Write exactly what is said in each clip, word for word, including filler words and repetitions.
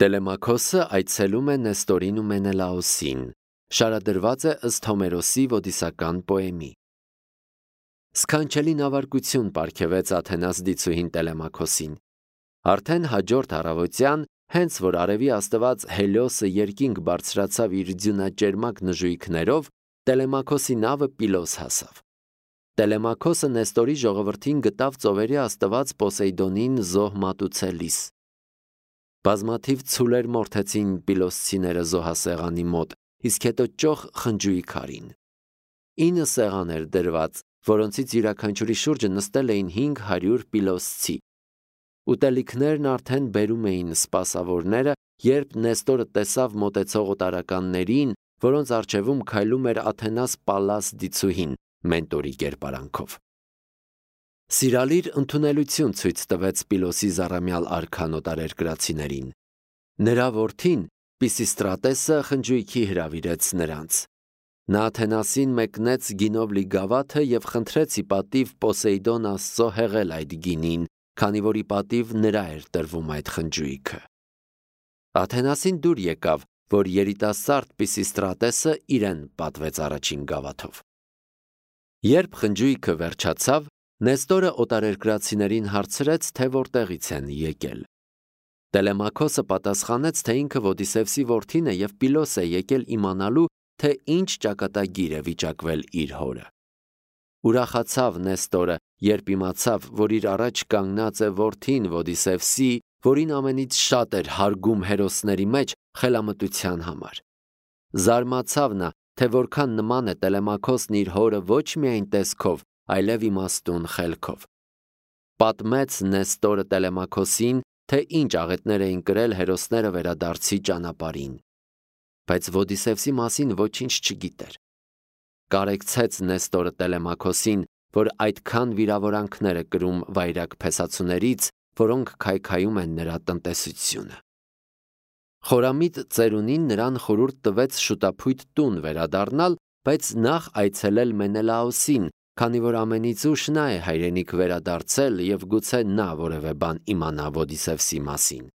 Տելեմաքոսը այցելում է Նեստորին ու Մենելաոսին, շարադրված է ըստ Հոմերոսի ոդիսական պոեմի։ Սքանչելի նավարկություն պարգևեց Աթենաս դիցուհին Տելեմաքոսին։ Արդեն հաջորդ առավոտյան, հենց որ արևի աստված Հելիոսը երկինք բարձրացավ իր ձյունաճերմակ նժույգներով, Տելեմաքոսի նավը Պիլոս հասավ։ Տելեմաքոսը Նեստորի ժողովրդին գտավ ծովերի աստված Պոսեյդոնին զոհ մատուցելիս։ Բազմաթիվ ցուլեր մորթեցին Պիլոսցիները զոհասեղանի մոտ, իսկ հետո ճոխ խնջույք արին։ Ինը սեղան էր դրված, որոնցից յուրաքանչյուրի շուրջը նստել էին հինգ հարյուր Պիլոսցի։ Ուտելիքներն արդեն բերում էին սպասավորները, երբ Նեստորը տեսավ մոտեցող օտարականներին, որոնց առջևում քայլում էր Աթենաս Պալլաս դիցուհին, մենտորի կերպարանքով։ Սիրալիր ընդունելություն ցույց տվեց Պիլոսի զառամյալ արքան օտարերկրացիներին։ Նրա որդին Պիսիստրատեսը խնջույքի հրավիրեց նրանց։ Նա Աթենասին մեկնեց գինով լի գավաթը եւ խնդրեց ի պատիվ Պոսեյդոն Աստծո հեղել այդ գինին, քանի որ ի պատիվ նրա էր տրվում այդ խնջույքը։ Աթենասին դուր եկավ, որ երիտասարդ Պիսիստրատեսը իրեն պատվեց առաջին գավաթով։ Երբ խնջույքը վերջացավ, Նեստորը օտարերկրացիներին հարցրեց, թե որտեղից են եկել։ Տելեմաքոսը պատասխանեց, թե ինքը Ոդիսևսի որդին է եւ Պիլոս է եկել իմանալու, թե ինչ ճակատագիր է վիճակվել իր հորը։ Ուրախացավ Նեստորը, երբ իմացավ, որ իր առաջ կանգնած է որդին Ոդիսևսի, որին ամենից շատ էր հարգում հերոսների մեջ խելամտության համար։ Զարմացավ նա, թե որքան նման է Տելեմաքոսն իր հորը ոչ միայն տեսքով, այլև իմաստուն խելքով։ Պատմեց Նեստորը Տելեմաքոսին, թե ինչ աղետներ էին կրել հերոսները վերադարձի ճանապարհին։ Բայց Ոդիսևսի մասին ոչինչ չգիտեր։ Կարեկցեց Նեստորը Տելեմաքոսին, որ այդքան վիրավորանքներ է կրում վայրագ փեսացուներից, որոնք քայքայում են նրա տնտեսությունը։ Խորամիտ ծերունին նրան խորհուրդ տվեց շուտափույթ տուն վերադառնալ, բայց նախ այցելել Մենելաոսին, քանի որ ամենից ուշ նա է հայրենիք վերադարձել եւ գուցե նա որևէ բան իմանա Ոդիսևսի մասին։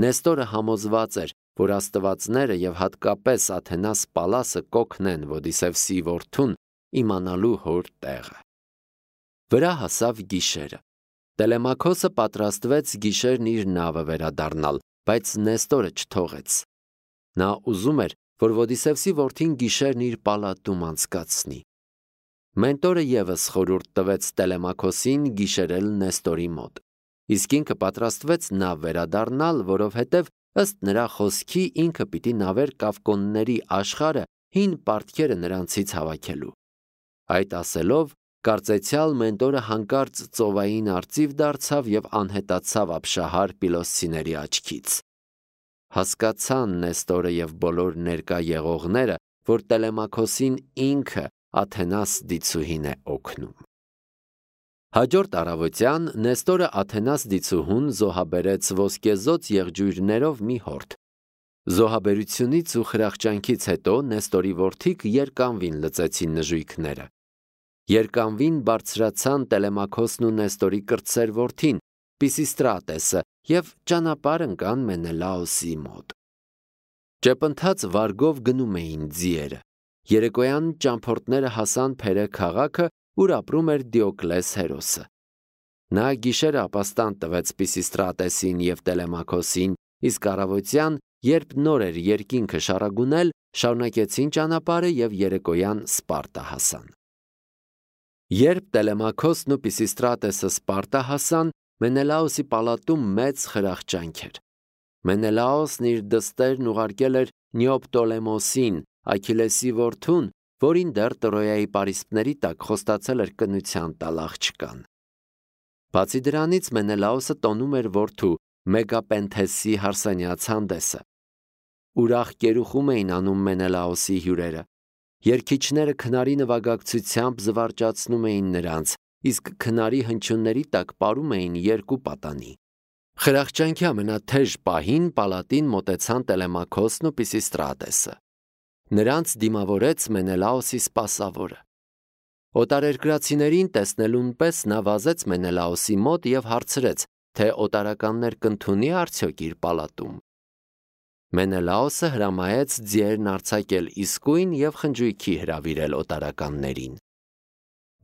Նեստորը համոզված էր, որ աստվածները եւ հատկապես Աթենաս Պալասը կօգնեն Ոդիսևսի որդուն իմանալու հոր տեղը։ Վրա հասավ գիշերը։ Տելեմաքոսը պատրաստվեց գիշերն իր նավը վերադառնալ, բայց Նեստորը չթողեց։ Նա ուզում էր, որ Ոդիսևսի որդին գիշերն իր պալատում անցկացնի։ Մենտորը եւս խորհուրդ տվեց Տելեմաքոսին գիշերել Նեստորի մոտ, իսկ ինքը պատրաստվեց նավ վերադառնալ, որովհետև ըստ նրա խոսքի ինքը պիտի նավեր կավկոնների աշխարհը հին պարտքերը նրանցից հավաքելու։ Այդ ասելով, կարծեցյալ Մենտորը հանկարծ ծովային արծիվ դարձավ եւ անհետացավ ապշահար Պիլոսցիների աչքից։ Հասկացան Նեստորը եւ բոլոր ներկա եղողները, որ Տելեմաքոսին ինքը Աթենաս դիցուհին է օգնում։ Հաջորդ առավոտյան Նեստորը Աթենաս դիցուհուն զոհաբերեց ոսկեզոծ եղջյուրներով մի հորթ։ Զոհաբերությունից ու խրախճանքից հետո Նեստորի որդիք երկանվին լծեցին նժույգները։ Երկանվին բարձրացան Տելեմաքոսն ու Նեստորի կրտսեր որդին, Պիսիստրատեսը, եւ ճանապարհ ընկան Մենելաոսի մոտ։ Ճեպընթաց վարգով գնում էին ձիերը։ Երեկոյան ճամփորդները հասան Փերը քաղաքը, ուր ապրում էր Դիոկլես հերոսը։ Նա գիշերը ապաստան տվեց Պիսիստրատեսին եւ Տելեմաքոսին, իսկ առավոտյան, երբ նոր էր երկինքը շարագունել, շարունակեցին ճանապարհը եւ երեկոյան Սպարտա հասան։ Երբ Տելեմաքոսն ու Պիսիստրատեսը Սպարտա հասան, Մենելաոսի պալատում մեծ խրախճանք էր։ Մենելաոսն իր դստերն ուղարկել էր Նեոպտոլեմոսին, Աքիլեսի որդուն, որին դեռ Տրոյայի պարիսպների տակ խոստացել էր կնության տալ աղջկան։ Բացի դրանից Մենելաոսը տոնում էր որդու Մեգապենթեսի հարսանյաց հանդեսը։ Ուրախ կերուխում էին անում Մենելաոսի հյուրերը։ Երգիչները քնարի նվագակցությամբ զվարճացնում էին նրանց, իսկ քնարի հնչյունների տակ պարում էին երկու պատանի։ Խրախճանքի ամենաթեժ պահին պալատին մոտեցան Տելեմաքոսն ու Պիսիստրատեսը։ Նրանց դիմավորեց Մենելաոսի սպասավորը։ Օտարերկրացիներին տեսնելուն պես նա վազեց Մենելաոսի մոտ եւ հարցրեց, թե օտարականներ կընդունի արդյոք իր պալատում։ Մենելաոսը հրամայեց ձիերն արձակել իսկույն և խնջույքի հրավիրել օտարականներին։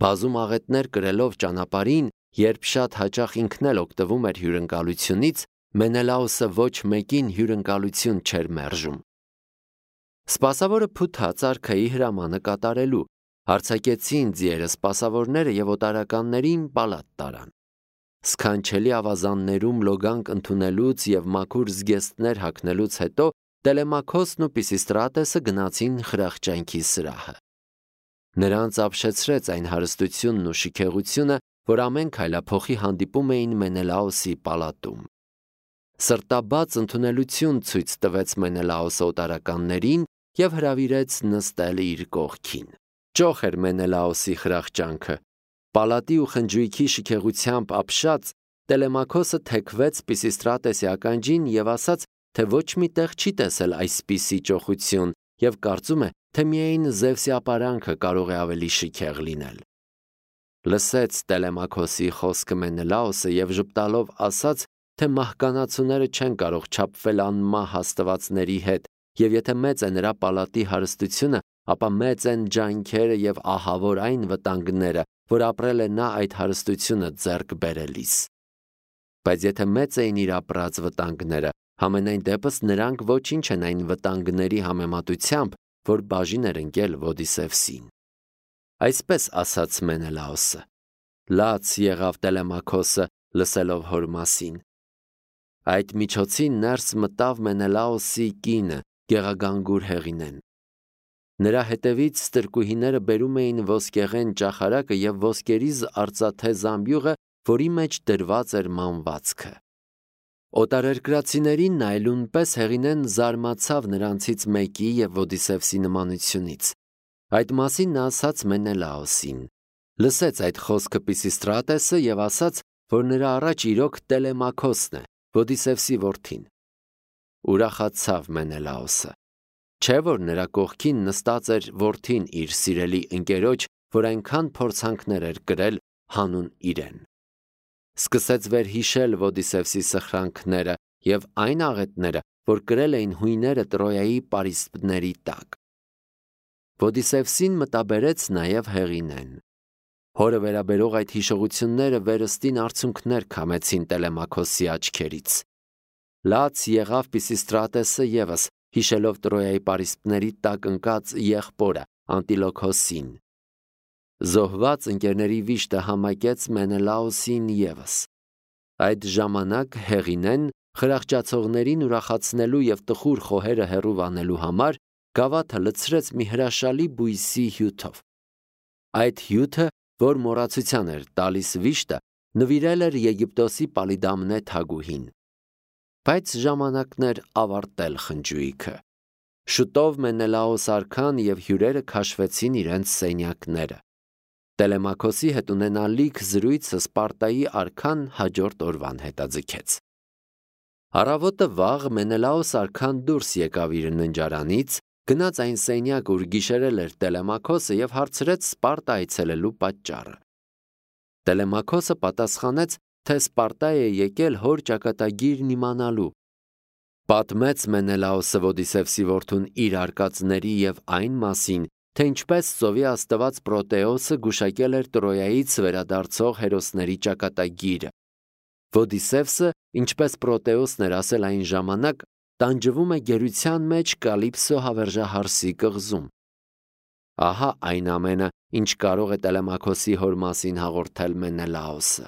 Բազում աղետներ կրելով ճանապարհին, երբ շատ հաճախ ինքն էլ օգտվում էր հյուրընկալությունից, Մենելաոսը ոչ մեկին հյուրընկալություն չէր մերժում։ Սպասավորը փութաց արքայի հրամանը կատարելու, արձակեցին ձիերը սպասավորները և օտարականներին պալատ տարան։ Սքանչելի ավազաններում լոգանք ընդունելուց և մաքուր զգեստներ հագնելուց հետո Տելեմաքոսն ու Պիսիստրատեսը գնացին խրախճանքի սրահը։ Նրանց ապշեցրեց այն հարստությունն ու շքեղությունը, որ ամեն քայլափոխի հանդիպում էին Մենելաոսի պալատում։ Սրտաբաց ընդունելություն ցույց տվեց Մենելաոսը օտարականներին և հրավիրեց նստել իր կողքին։ Ճոխ էր Մենելաոսի խրախճանքը։ Պալատի ու խնջույքի շքեղությամբ ապշած Տելեմաքոսը թեքվեց Պիսիստրատեսի ականջին և ասաց, թե ոչ մի տեղ չի տեսել այսպիսի ճոխություն և կարծում է, թե միայն Զևսի ապարանքը կարող է ավելի շքեղ լինել։ Լսեց Տելեմաքոսի խոսքը Մենելաոսը և ժպտալով ասաց, թե մահկանացուները չեն կարող չափվել անմահ աստվածների հետ, և եթե մեծ է նրա պալատի հարստությունը, ապա մեծ են ջանքերը և ահավոր այն վտանգները, որ ապրել է նա այդ հարստությունը ձեռք բերելիս։ Բայց եթե մեծ էին իր ապրած վտանգները, համենայն դեպս նրանք ոչինչ են այն վտանգների համեմատությամբ, որ բաժին էր ընկել Ոդիսևսին։ Այսպես ասաց Մենելաոսը։ Լաց եղավ Տելեմաքոսը, լսելով հոր մասին։ Այդ միջոցին ներս մտավ Մենելաոսի կինը, Գեղագանգուր Հեղինեն։ Նրա հետևից ստրկուհիները բերում էին ոսկեղեն ճախարակը և ոսկերիզ արծաթե զամբյուղը, որի մեջ դրված էր մանվածքը։ Օտարերկրացիներին նայելուն պես Հեղինեն զարմացավ նրանցից մեկի և Ոդիսևսի նմանությունից։ Այդ մասին նա ասաց Մենելաոսին։ Լսեց այդ խոսքը Պիսիստրատեսը և ասաց, որ նրա առաջ իրոք Տելեմաքոսն է, Ոդիսևսի որդին։ Ուրախացավ Մենելաոսը։ Չէ՞ որ նրա կողքին նստած էր որդին իր սիրելի ընկերոջ, որ այնքան փորձանքներ էր կրել հանուն իրեն։ Սկսեց վերհիշել Ոդիսևսի սխրանքները և այն աղետները, որ կրել էին հույները Տրոյայի պարիսպների տակ։ Ոդիսևսին մտաբերեց նաև Հեղինեն։ Հորը վերաբերող այդ հիշողությունները վերստին արցունքներ քամեցին Տելեմաքոսի աչքերից։ Լաց եղավ Պիսիստրատեսը ևս, հիշելով Տրոյայի պարիսպների տակ ընկած եղբորը Անտիլոքոսին։ Զոհված ընկերների վիշտը համակեց Մենելաոսին ևս։ Այդ ժամանակ Հեղինեն խրախճացողներին ուրախացնելու և տխուր խոհերը հեռու վանելու համար գավաթը լցրեց մի հրաշալի բույսի հյութով։ Այդ հյութը, որ մոռացության էր տալիս վիշտը, նվիրել էր Եգիպտոսի Պալիդամնե թագուհին։ Բայց ժամանակն էր ավարտել խնջույքը։ Շուտով Մենելաոս արքան և հյուրերը քաշվեցին իրենց սենյակները։ Տելեմաքոսի հետ ունենալիք զրույցը Սպարտայի արքան հաջորդ օրվան հետաձգեց։ Առավոտը վաղ Մենելաոս արքան դուրս եկավ իր ննջարանից, գնաց այն սենյակ, ուր գիշերել էր Տելեմաքոսը և հարցրեց Սպարտա այցելելու պատճառը։ Տելեմաքոսը պատասխանեց, թե Սպարտա է եկել հոր ճակատագիրն իմանալու։ Պատմեց Մենելաոսը Ոդիսևսի որդուն իր արկածների և այն մասին, թե ինչպես ծովի աստված Պրոտեոսը գուշակել էր Տրոյայից վերադարձող հերոսների ճակատագիրը։ Ոդիսևսը, ինչպես Պրոտեոսն էր ասել այն ժամանակ, տանջվում է գերության մեջ Կալիպսո հավերժահարսի կղզում։ Ահա այն ամենը, ինչ կարող է Տելեմաքոսի հոր մասին հաղորդել Մենելաոսը։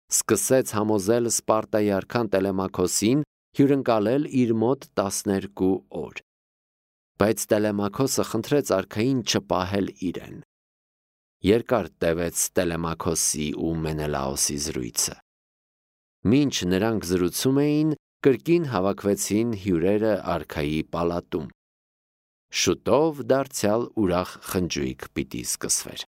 Սկսեց համոզել Սպարտայի արքան Տելեմաքոսին հյուրընկալել իր մոտ տասներկու օր։ Բայց Տելեմաքոսը խնդրեց արքային չպահել իրեն։ Երկար տևեց Տելեմաքոսի ու Մենելաոսի զրույցը։ Մինչ նրանք զրուցում էին, կրկին հավաքվեցին հյուրերը արքայի պալատում։ Շուտով դարձյալ ուրախ խնջույք պիտի սկսվեր։